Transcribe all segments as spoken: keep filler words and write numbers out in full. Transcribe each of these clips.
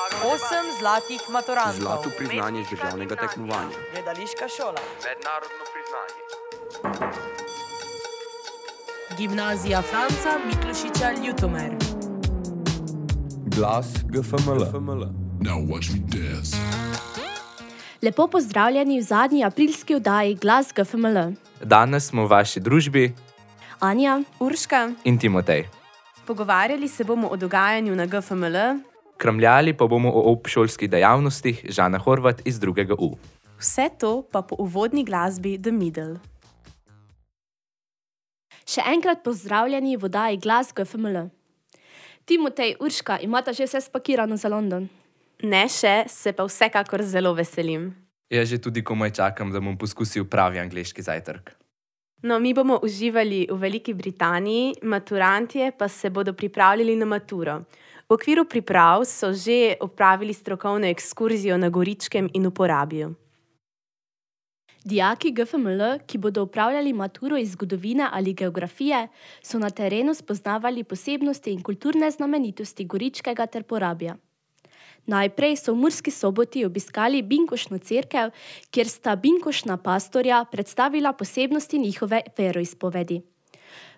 Osem zlatih maturantov. Zlato priznanje z državnega tekmovanja. Gledališka šola. Mednarodno priznanje. Gimnazija Franca Miklošiča Ljutomer. Glas G F M L. Now watch me dance. Lepo pozdravljeni v zadnji aprilski oddaji Glas G F M L. Danes smo v vaši družbi Anja, Urška. in Timotej. Pogovarjali se bomo o dogajanju na G F M L. Kramljali pa bomo o obšolskih dejavnostih Žana Horvat iz drugega U. Vse to pa po uvodni glasbi The Middle. še enkrat pozdravljeni v oddaji Glas G F M L. Timotej, Urška, imata že vse spakirano za London? Ne še, se pa vsekakor zelo veselim. Jaz že tudi komaj čakam, da bom poskusil pravi angleški zajtrk. No, mi bomo uživali v Veliki Britaniji, maturantje pa se bodo pripravljali na maturo. V okviru priprav so že opravili strokovno ekskurzijo na Goričkem in v Porabju. Dijaki G F M L, ki bodo upravljali maturo iz zgodovine ali geografije, so na terenu spoznavali posebnosti in kulturne znamenitosti Goričkega ter Porabja. Najprej so v Murski Soboti obiskali Binkošno cerkev, kjer sta binkošna pastorja predstavila posebnosti njihove veroizpovedi.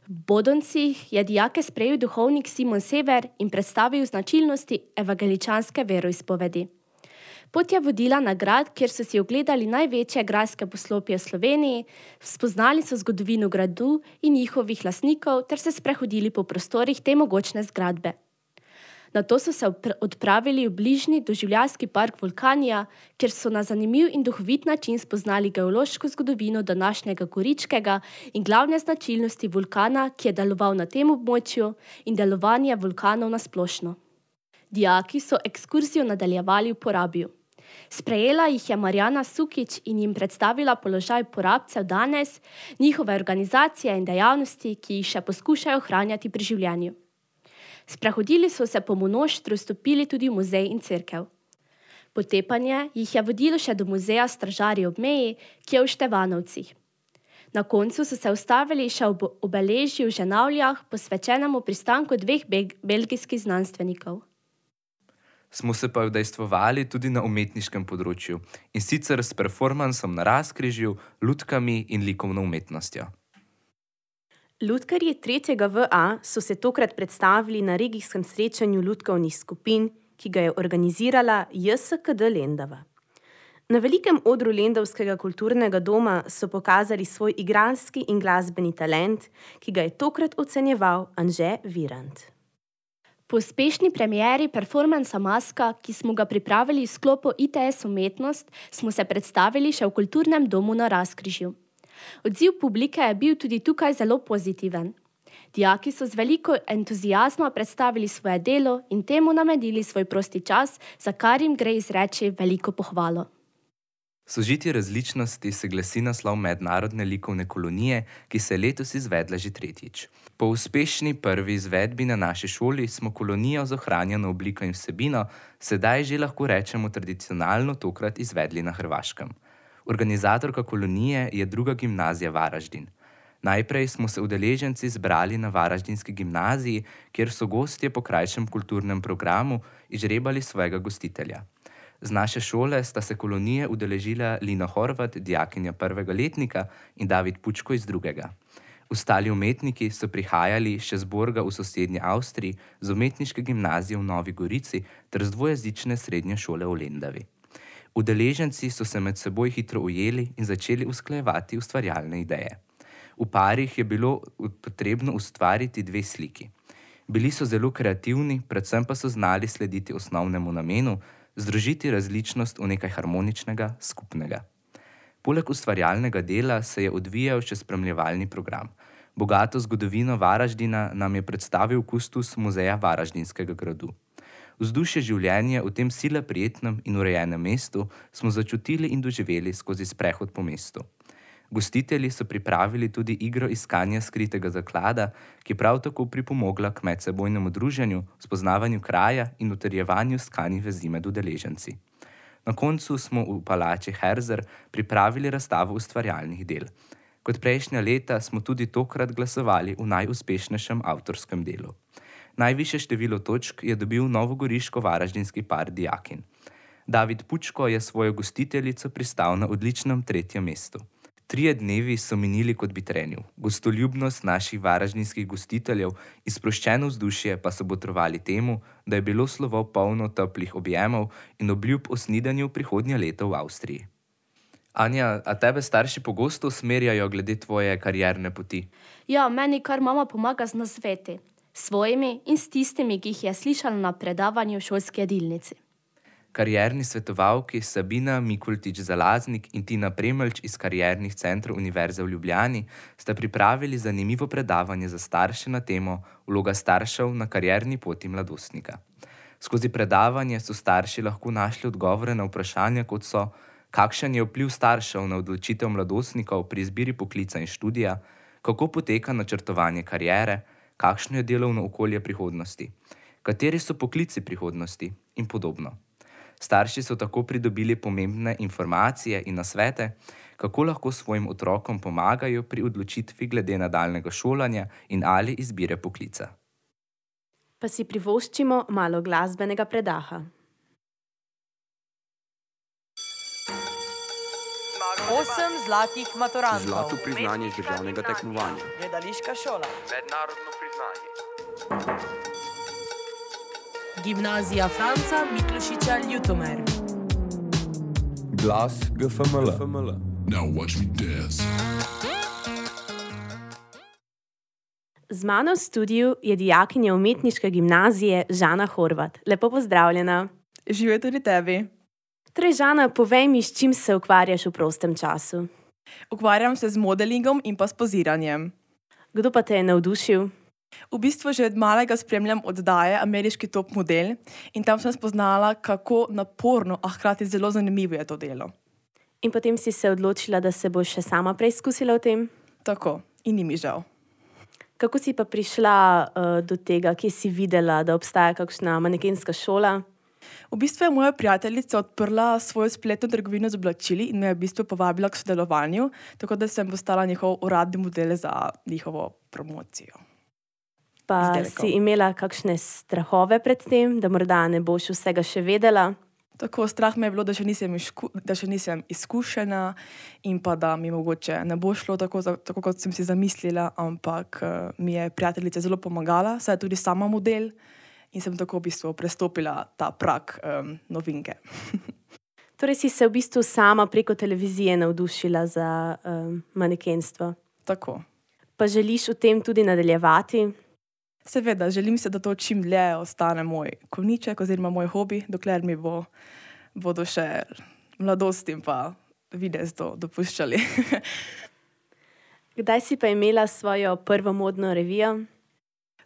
V Bodoncih je dijake sprejel duhovnik Simon Sever in predstavil značilnosti evangeličanske veroizpovedi. Pot je vodila na grad, kjer so si ogledali največje grajske poslopje v Sloveniji, spoznali so zgodovino gradu in njihovih lastnikov ter se sprehodili po prostorih te mogočne zgradbe. Nato so se odpravili v bližnji doživljajski park Vulkanija, kjer so na zanimiv in duhovit način spoznali geološko zgodovino današnjega Goričkega in glavne značilnosti vulkana, ki je deloval na tem območju, in delovanje vulkanov na splošno. Dijaki so ekskurzijo nadaljevali v Porabju. Sprejela jih je Marjana Sukič in jim predstavila položaj porabcev danes, njihove organizacije in dejavnosti, ki jih še poskušajo ohranjati pri življenju. Sprehodili so se po mnoštru, stopili tudi v muzej in cerkev. Potepanje jih je vodilo še do muzeja Stražarji ob meji, ki je v Števanovcih. Na koncu so se ustavili še ob obeležju v Ženavljah, posvečenemu pristanku dveh be- belgijskih znanstvenikov. Smo se pa udejstvovali tudi na umetniškem področju, in sicer s performansom na razkrižju, lutkami in likovno umetnostjo. Lutkarji tretjega V A so se tokrat predstavili na regijskem srečanju lutkovnih skupin, ki ga je organizirala J S K D Lendava. Na velikem odru Lendavskega kulturnega doma so pokazali svoj igralski in glasbeni talent, ki ga je tokrat ocenjeval Anže Virant. Po uspešni premieri performansa Maska, ki smo ga pripravili v sklopu I T S umetnost, smo se predstavili še v kulturnem domu na Razkrižju. Odziv publike je bil tudi tukaj zelo pozitiven. Dijaki so z veliko entuzijazma predstavili svoje delo in temu namenili svoj prosti čas, za kar jim gre izreči veliko pohvalo. Sožitje različnosti se glasi naslov mednarodne likovne kolonije, ki se je letos izvedla že tretjič. Po uspešni prvi izvedbi na naši šoli smo kolonijo z ohranjeno obliko in vsebino sedaj že lahko rečemo tradicionalno tokrat izvedli na Hrvaškem. Organizatorka kolonije je druga gimnazija Varaždin. Najprej smo se udeleženci zbrali na Varaždinski gimnaziji, kjer so gostje po krajšem kulturnem programu izžrebali svojega gostitelja. Z naše šole sta se kolonije udeležila Lina Horvat, dijakinja prvega letnika, in David Pučko iz drugega. Ostali umetniki so prihajali še z Borga v sosednji Avstriji, z umetniške gimnazije v Novi Gorici ter z dvojezične srednje šole v Lendavi. Udeleženci so se med seboj hitro ujeli in začeli usklajevati ustvarjalne ideje. V parih je bilo potrebno ustvariti dve sliki. Bili so zelo kreativni, predvsem pa so znali slediti osnovnemu namenu, združiti različnost v nekaj harmoničnega, skupnega. Poleg ustvarjalnega dela se je odvijal še spremljevalni program. Bogato zgodovino Varaždina nam je predstavil kustos muzeja Varaždinskega gradu. Vzdušje življenja v tem sila prijetnem in urejenem mestu smo začutili in doživeli skozi sprehod po mestu. Gostitelji so pripravili tudi igro iskanja skritega zaklada, ki prav tako pripomogla k medsebojnemu druženju, spoznavanju kraja in utrjevanju skanih vezi med udeleženci. Na koncu smo v palači Herzer pripravili razstavo ustvarjalnih del. Kot prejšnja leta smo tudi tokrat glasovali v najuspešnejšem avtorskem delu. Najvišje število točk je dobil novogoriško-varaždinski par dijakin. David Pučko je svojo gostiteljico pristal na odličnem tretjem mestu. Trije dnevi so minili kot bi trenil. Gostoljubnost naših varaždinskih gostiteljev in sproščeno vzdušje pa so botrovali temu, da je bilo slovo polno toplih objemov in obljub o snidanju prihodnje leto v Avstriji. Anja, a tebe starši pogosto usmerjajo glede tvoje karierne poti? Ja, meni kar mama pomaga z nasveti, svojimi in s tistimi, ki jih je slišala na predavanju v šolski jedilnici. Karierni svetovalki Sabina Mikultič-Zalaznik in Tina Premelč iz kariernih centrov Univerze v Ljubljani sta pripravili zanimivo predavanje za starše na temo Vloga staršev na karierni poti mladostnika. Skozi predavanje so starši lahko našli odgovore na vprašanja, kot so: kakšen je vpliv staršev na odločitev mladostnikov pri izbiri poklica in študija, kako poteka načrtovanje kariere, kakšno je delovno okolje prihodnosti, kateri so poklici prihodnosti in podobno. Starši so tako pridobili pomembne informacije in nasvete, kako lahko svojim otrokom pomagajo pri odločitvi glede nadaljnjega šolanja in ali izbire poklica. Pa si privoščimo malo glasbenega predaha. Osem zlatih maturantov. Zlato priznanje z državnega tekmovanja. Gledališka šola. Mednarodno priznanje. Gimnazija Franca Miklošiča Ljutomer. Glas G F M L. Now watch me dance. Z mano v studiu je dijakinja umetniške gimnazije Žana Horvat. Lepo pozdravljena. Živijo tudi tebi. Torej, Žana, povej mi, s čim se ukvarjaš v prostem času? Ukvarjam se z modelingom in pa s poziranjem. Kdo pa te je navdušil? V bistvu že od malega spremljam oddaje Ameriški top model in tam sem spoznala, kako naporno, a hkrati zelo zanimivo je to delo. In potem si se odločila, da se boš še sama preizkusila v tem? Tako, in ni mi žal. Kako si pa prišla uh, do tega, kje si videla, da obstaja kakšna manekenska šola? V bistvu je moja prijateljica odprla svojo spletno trgovino z oblačili in me je v bistvu povabila k sodelovanju, tako da sem postala njihov uradni model za njihovo promocijo. Pa Izdelkov. si imela kakšne strahove pred tem, da morda ne boš vsega še vedela? Tako, strah me je bilo, da še nisem, izku, da še nisem izkušena in pa da mi mogoče ne bo šlo tako, za, tako kot sem si zamislila, ampak uh, mi je prijateljica zelo pomagala, saj je tudi sama model in sem tako v bistvu prestopila ta prag um, novinke. Torej si se v bistvu sama preko televizije navdušila za um, manekenstvo. Tako. Pa želiš v tem tudi nadaljevati? Seveda, želim se, da to čim dlje ostane moj konjiček oziroma moj hobi, dokler mi bo, bodo še mladost in pa videz to dopuščali. Kdaj si pa imela svojo prvo modno revijo?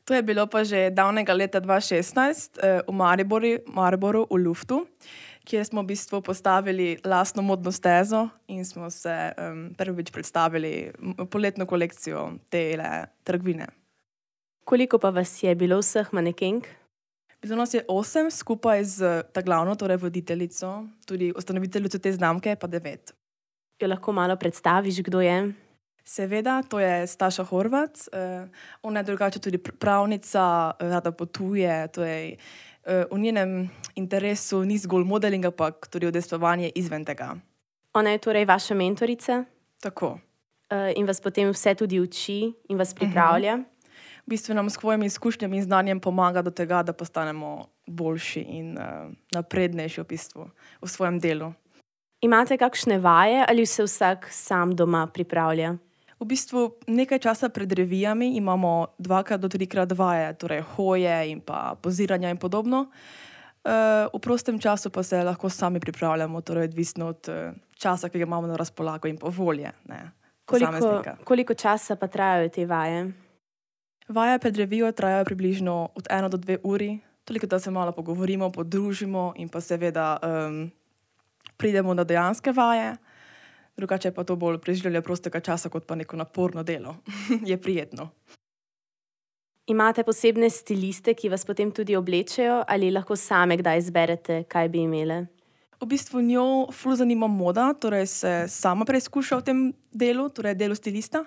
To je bilo pa že davnega leta dva tisoč šestnajst v Mariboru, Mariboru v Luftu, kjer smo v bistvu postavili lastno modno stezo in smo se um, prvič predstavili poletno kolekcijo te trgovine. Koliko pa vas je bilo vseh manekenk? Bilo nas je osem, skupaj z ta glavno, torej voditeljico, tudi ustanoviteljico te znamke, pa devet. Jo lahko malo predstaviš, kdo je? Seveda, to je Staša Horvat. Uh, ona je drugače tudi pravnica, rada potuje, torej uh, v njenem interesu ni zgolj modeling, ampak tudi udejstvovanje izven tega. Ona je torej vaša mentorica? Tako. Uh, in vas potem vse tudi uči in vas pripravlja? Uh-huh. V bistvu nam s svojimi izkušnjami in znanjem pomaga do tega, da postanemo boljši in uh, naprednejši v bistvu v svojem delu. Imate kakšne vaje ali se vsak sam doma pripravlja? V bistvu nekaj časa pred revijami imamo dvakrat do trikrat vaje, torej hoje in pa poziranja in podobno. Uh, v prostem času pa se lahko sami pripravljamo, torej odvisno od uh, časa, ki ga imamo na razpolago in pa volje. Ne, koliko, koliko časa pa trajajo te vaje? Vaje pred revijo trajajo približno od eno do dve uri, toliko da se malo pogovorimo, podružimo in pa seveda um, pridemo na dejanske vaje. Drugače pa to bolj preživljanje prostega časa kot pa neko naporno delo. Je prijetno. Imate posebne stiliste, ki vas potem tudi oblečejo ali lahko same kdaj izberete, kaj bi imele? V bistvu njo ful zanima moda, torej se sama preizkuša v tem delu, torej delu stilista.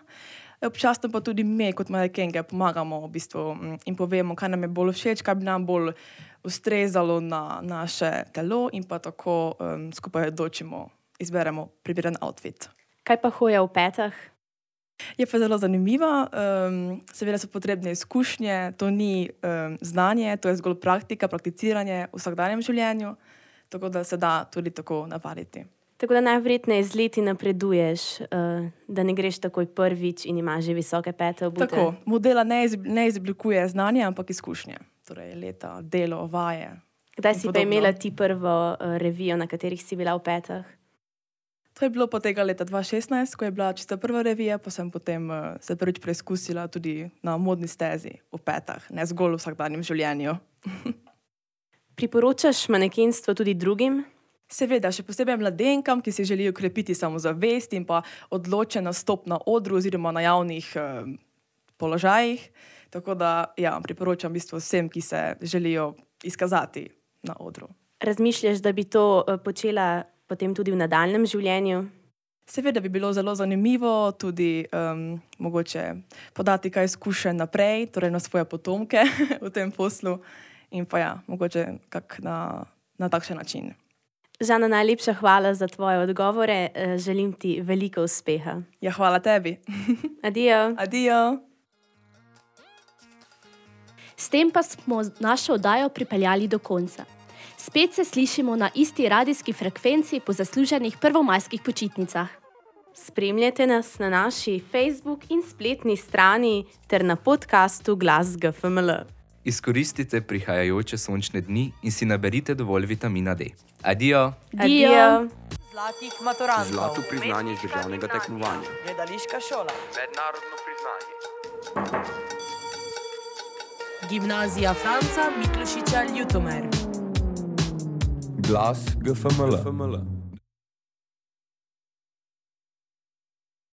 Občasno pa tudi mi, kot manekenge, pomagamo v bistvu in povemo, kaj nam je bolj všeč, kaj bi nam bolj ustrezalo na naše telo in pa tako um, skupaj odločimo, izberemo primeren outfit. Kaj pa hoja v petah? Je pa zelo zanimivo, um, seveda so potrebne izkušnje, to ni um, znanje, to je zgolj praktika, prakticiranje v vsakdanjem življenju, tako da se da tudi tako navaditi. Tako da najverjetneje z leti napreduješ, uh, da ne greš takoj prvič in imaš že visoke pete obute. Tako, modela ne, iz, ne izoblikuje znanje, ampak izkušnje, torej leta, delo, vaje. Kdaj in si pa podobno. imela ti prvo uh, revijo, na katerih si bila v petah? To je bilo pa tega leta dva tisoč šestnajst, ko je bila čista prva revija, pa sem potem uh, se prvič preizkusila tudi na modni stezi v petah, ne zgolj v vsakdanjem življenju. Priporočaš manekenstvo tudi drugim? Seveda, še posebej mladenkam, ki si želijo krepiti samozavest in pa odločen nastop na odru oziroma na javnih uh, položajih. Tako da ja, priporočam v bistvu vsem, ki se želijo izkazati na odru. Razmišljaš, da bi to uh, počela potem tudi v nadaljnem življenju? Seveda bi bilo zelo zanimivo tudi um, mogoče podati kaj izkušenj naprej, torej na svoje potomke v tem poslu in pa ja, mogoče kak na, na takšen način. Žana, najlepša hvala za tvoje odgovore. Želim ti veliko uspeha. Ja, hvala tebi. Adijo. Adijo. S tem pa smo našo oddajo pripeljali do konca. Spet se slišimo na isti radijski frekvenci po zasluženih prvomajskih počitnicah. Spremljajte nas na naši Facebook in spletni strani ter na podkastu Glas G F M L. Izkoristite prihajajoče sončne dni in si naberite dovolj vitamina D. Adijo. Adijo. Zlatih maturantov. Zlato priznanje z državnega tekmovanja. Gledališka šola. Mednarodno priznanje. Gimnazija Franca Miklošiča Ljutomer. Glas G F M L.